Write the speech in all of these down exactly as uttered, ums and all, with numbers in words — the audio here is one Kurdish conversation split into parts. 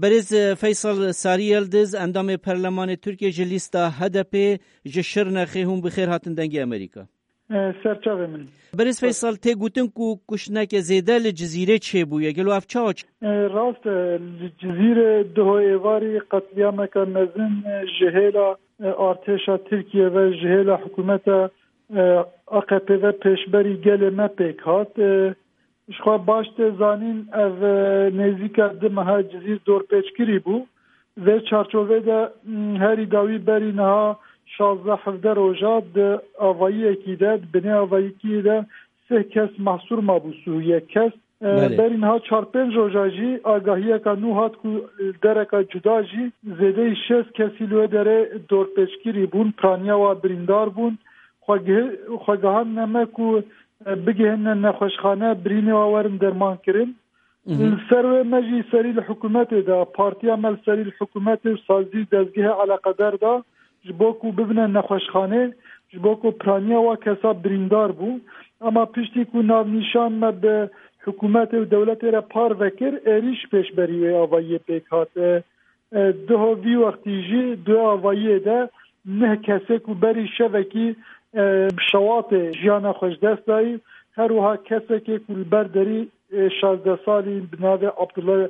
Berêz, e, Feysel Sarı Yıldız, endamê Perlemanê Tirkiye ji lîsta H D P ji Şirnexê, hûn bi xêr hatin Dengê Amerîka. E, serçavê min. Berêz Feysel, tê gotin ku kuştineke zêde li Cizîrê çêbûye. Gelo ev çawa çi? E, rast e, li Cizîrê duho êvarî qetlîameke mezin, e, ji hêla, e, artêşa Tirkiye ve, ji hêla hikûmeta, e, A K P ve pêşberî gelê me pêk hat. E, Ji xwe baş tê zanîn, ev, e, nêzîka du meha Cizîr dorpêçkirî bû. Vê çarçovê de, m, herî dawî berî niha şazdeh hevdeh roja di avayiyekî de, di binê avayiyekî de sih kes mehsûr mabû, sih û yek kes. E, Belê. Berî niha çar pênc roja jî agahiyeka nû hat ku dereka cuda jî zêdeyî şêst kesî li wê derê dorpêçkirî bûn, piraniya wa birîndar bûn. Xwe gihi-, xwe gihandine me ku, e, bigihîne nexweşxane, birînê wa werin derman kirin. Mhm. Li ser wê me jî serî li hikûmetê de, partiya me li serî li hikûmetê û sazî û dezgehê eleqedar da, ji bo ku bibine nexweşxanê, ji bo ku piraniya wa kesa birîndar bû. Ema piştî ku navnîşan me bi hikûmetê û dewletê re parve kir, êrîş pêşberî wê avayiyê pêk hat. E, e, duho vî wextî jî di wê avayiyê de neh kesê ku berî şevekî, e, bi şewatê jiyana xwe ji dest dayî, her wiha kesekê ku li ber derî, e, şazdeh salî bi navê Abdullah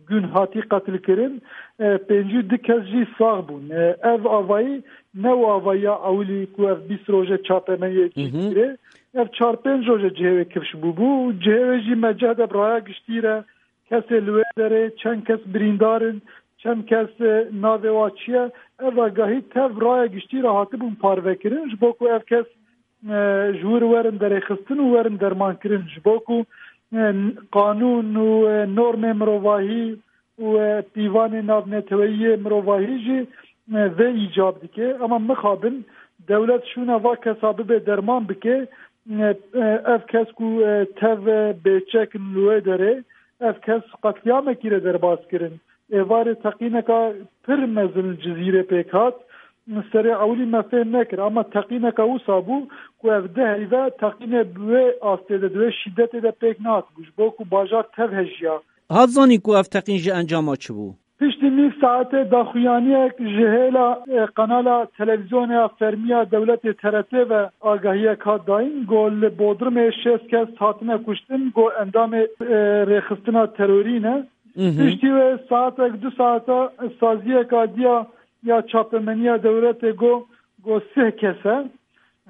Gün hatî qetilkirin, e, pêncî û du kes jî sax bûn. E, ev avayî ne û avayiya ewilî ku ev bîst roje çapemeniye Mhm. dît kirê. Ev çar pênc roje cihê wê kifş bûbû û cihê wê jî me cih de bi raya giştî re kesê li wê derê, çend kes birîndar in, çend kes, e, navê wa çi ye. Ev agahî tev raya giştî re hatibûn parvekirin, ji bo ku ev kes, e, ji wir werin derêxistin û werin dermankirin. Ji bo ku, e, qanûn û, e, normê mirovahî û, e, pîvanê navneteweyî yê mirovahî jî, e, vê îcab dike. Ema mixabin dewlet şûna va kesa bibe derman bike, e, e, ev kes ku, e, tev, e, bêçek in li wê derê, ev kes qetlîamekî re derbas kirin. Êvarê teqîneka pir mezin li Cizîrê pêk hat. Serê ewilî me fêm nekir, ema teqîneka wisa bû ku ev di heyve teqînê bi wê astê de, di wê şîdetê de pêk nehatibû, ji bo ku bajar tev hejiya. Hat zanîn ku ev teqîn ji encama çi bû? Piştî nîv saetê daxuyaniyek ji hêla, e, kanala televîzyonê ya fermî ya dewletê T R T ve agahiyek hat dayîn, ku li Bodrumê şêst kes hatine kuştin, ku endamê, e, rêxistina terorî ne. Mhm. Piştî wê saetek du saeta saziyeka diya ya çapemeniya dewletê got, got sih kes e.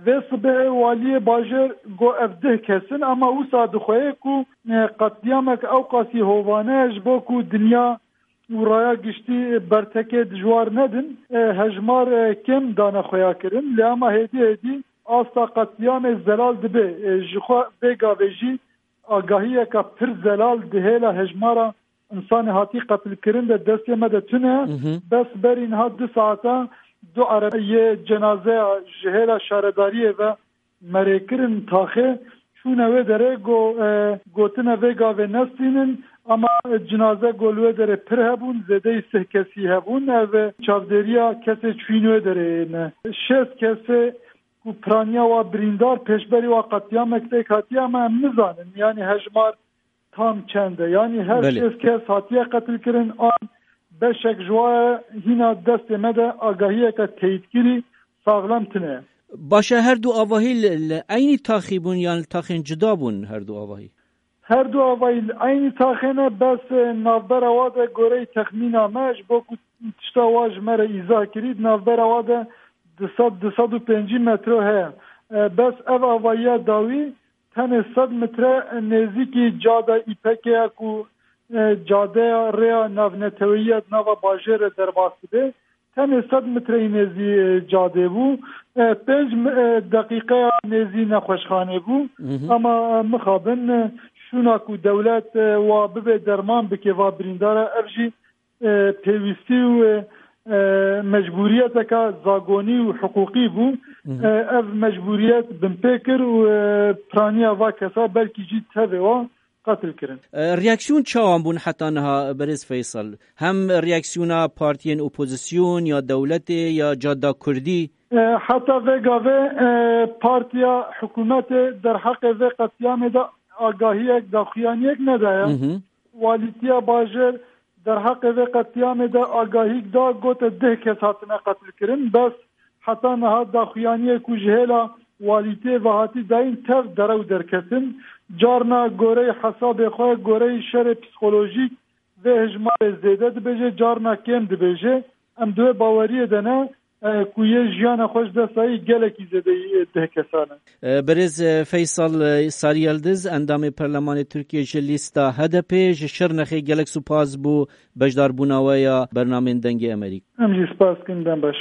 Vê sibehê waliyê bajêr got ev deh kes in, ema wisa dixweye ku, e, qetlîyamek ewqasî hovane ji bo ku dinya û raya giştî bertekê dijwar nedin, e, hejmar, e, kêm dane xuya kirin. Lê ema hêdî hêdî asta qetlîyamê zelal dibe. E, ji xwe vê gavê jî agahiyeke pir zelal di hêla hejmara însanê hatî qetilkirin de destê me de tune. Mhm. Bes berî niha du saeta du erebeyê cenazeya ji hêla şaredariyê ve merê kirin taxê, çûne wê derê, go, e, gotine vê gavê nestînin, ama cinaze go li wê derê pir hebûn, zêdeyî sih kesî hebûn. Ev çavdêriya kesê çûyîn wê derê ne. Şêst kesê ku piraniya wa birîndar pêşberî wa qetliyamek pêk hatiye, ama em nizanin, yanî hejmar tam çend e. Yanî her Belê. şêst kes hatiye qetilkirin, an beşek ji wa ye, hîna destê me de agahiyeke teyîdkirî saxlem tine. Baş e, her du avahî li, li eynî taxî bûn yan li taxên cuda bûn her du avahî? Her du avahî li eynî taxê ne, bes, e, navbera wa de goreyî texmîna me, ji bo ku tişta wa ji me re îzah kirî, di navbera wa de du sed, du sed û pêncî metro heye. E, bes ev avahiya dawî tenê sed metre nêzîkî cada Îpekê ye ku, e, cadeya rêya navneteweyî ya di nava bajêr re derbas dibe. Tenê sed metreyî nêzî, e, cadê bû. E, pênc mi-, e, deqîqeya nêzî nexweşxanê bû. Mhm. Ama, e, mixabin, e, şûna ku dewlet, e, wa bibe derman bike va birîndara, ev jî, e, pêwîstî û, e, e, mecbûriyeteka zagonî û hiqûqî bû. Mhm. E, ev mecbûriyet binpê kir û, e, piraniya va kesa belkî jî tevê wa qetil kirin. E, reaksiyon çawan bûn heta niha, Berêz Feysel? Hem reaksiyona partiyên opozisyon ya dewletê ya cadda kurdî? E, heta vê gavê, e, partiya hikûmetê derheqê vê qetliyamê de agahiyek, daxuyaniyek nedaye. Mhm. Walîtiya bajêr Derheqê vê qetlîamê de agahîk da, gote deh kes hatine qetilkirin, bes heta niha daxuyaniyê ku ji hêla walîtiyê ve hatî dayîn tev derew derketin. Carna goreyê hesabê xwe, goreyê şerê psîkolojîk vê hejmarê zêde dibêje, carna kêm dibêje. Em di wê baweriyê de ne, e, ku yê jiyana xwe ji dest dayî gelekî zêdeyî deh kesan e. E, Birêz, e, Feysal, e, Sariyeldiz, endamê Perlemanê Tirkiye ji lîsta H D P, ji Şirnexê gelek spas bo beşdarbûna we ya bernamên Dengê Emerîk. Em jî spas dikin, dem baş.